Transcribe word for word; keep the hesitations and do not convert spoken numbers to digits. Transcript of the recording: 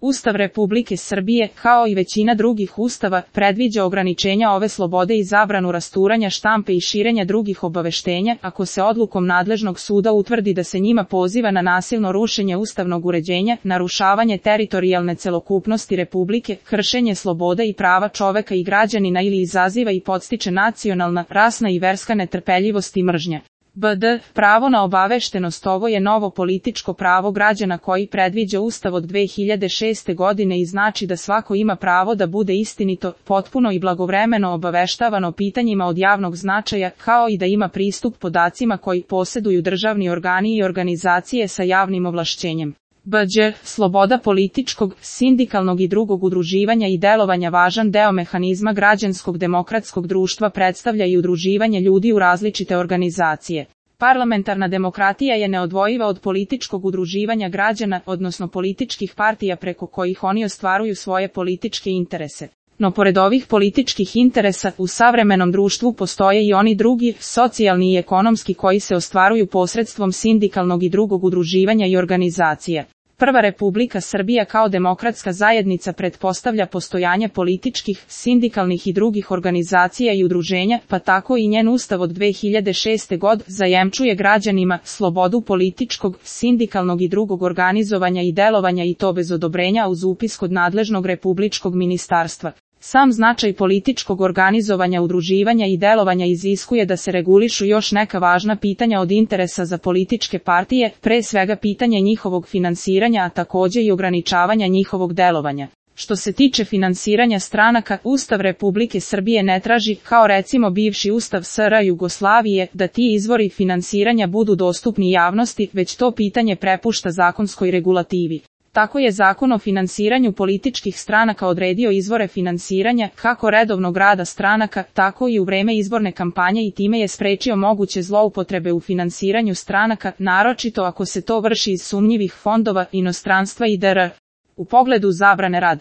Ustav Republike Srbije, kao i većina drugih ustava, predviđa ograničenja ove slobode i zabranu rasturanja štampe i širenja drugih obaveštenja, ako se odlukom nadležnog suda utvrdi da se njima poziva na nasilno rušenje ustavnog uređenja, narušavanje teritorijalne celokupnosti Republike, kršenje sloboda i prava čoveka i građanina ili izaziva i podstiče nacionalna, rasna i verska netrpeljivost i mržnja. B D. Pravo na obaveštenost. Ovo je novo političko pravo građana koji predviđa Ustav od dve hiljade šeste godine i znači da svako ima pravo da bude istinito, potpuno i blagovremeno obaveštavano pitanjima od javnog značaja, kao i da ima pristup podacima koji poseduju državni organi i organizacije sa javnim ovlašćenjem. B Đ. Sloboda političkog, sindikalnog i drugog udruživanja i delovanja. Važan deo mehanizma građanskog demokratskog društva predstavlja i udruživanje ljudi u različite organizacije. Parlamentarna demokratija je neodvojiva od političkog udruživanja građana, odnosno političkih partija preko kojih oni ostvaruju svoje političke interese. No pored ovih političkih interesa, u savremenom društvu postoje i oni drugi, socijalni i ekonomski, koji se ostvaruju posredstvom sindikalnog i drugog udruživanja i organizacija. Prva Republika Srbija kao demokratska zajednica pretpostavlja postojanje političkih, sindikalnih i drugih organizacija i udruženja, pa tako i njen ustav od dve hiljade šeste. godine zajemčuje građanima slobodu političkog, sindikalnog i drugog organizovanja i delovanja, i to bez odobrenja uz upis kod nadležnog republičkog ministarstva. Sam značaj političkog organizovanja, udruživanja i delovanja iziskuje da se regulišu još neka važna pitanja od interesa za političke partije, pre svega pitanje njihovog finansiranja, a takođe i ograničavanja njihovog delovanja. Što se tiče finansiranja stranaka, Ustav Republike Srbije ne traži, kao recimo bivši Ustav S R Jugoslavije, da ti izvori finansiranja budu dostupni javnosti, već to pitanje prepušta zakonskoj regulativi. Tako je Zakon o finansiranju političkih stranaka odredio izvore finansiranja, kako redovnog rada stranaka, tako i u vreme izborne kampanje, i time je sprečio moguće zloupotrebe u finansiranju stranaka, naročito ako se to vrši iz sumnjivih fondova, inostranstva i dr. U pogledu zabrane rad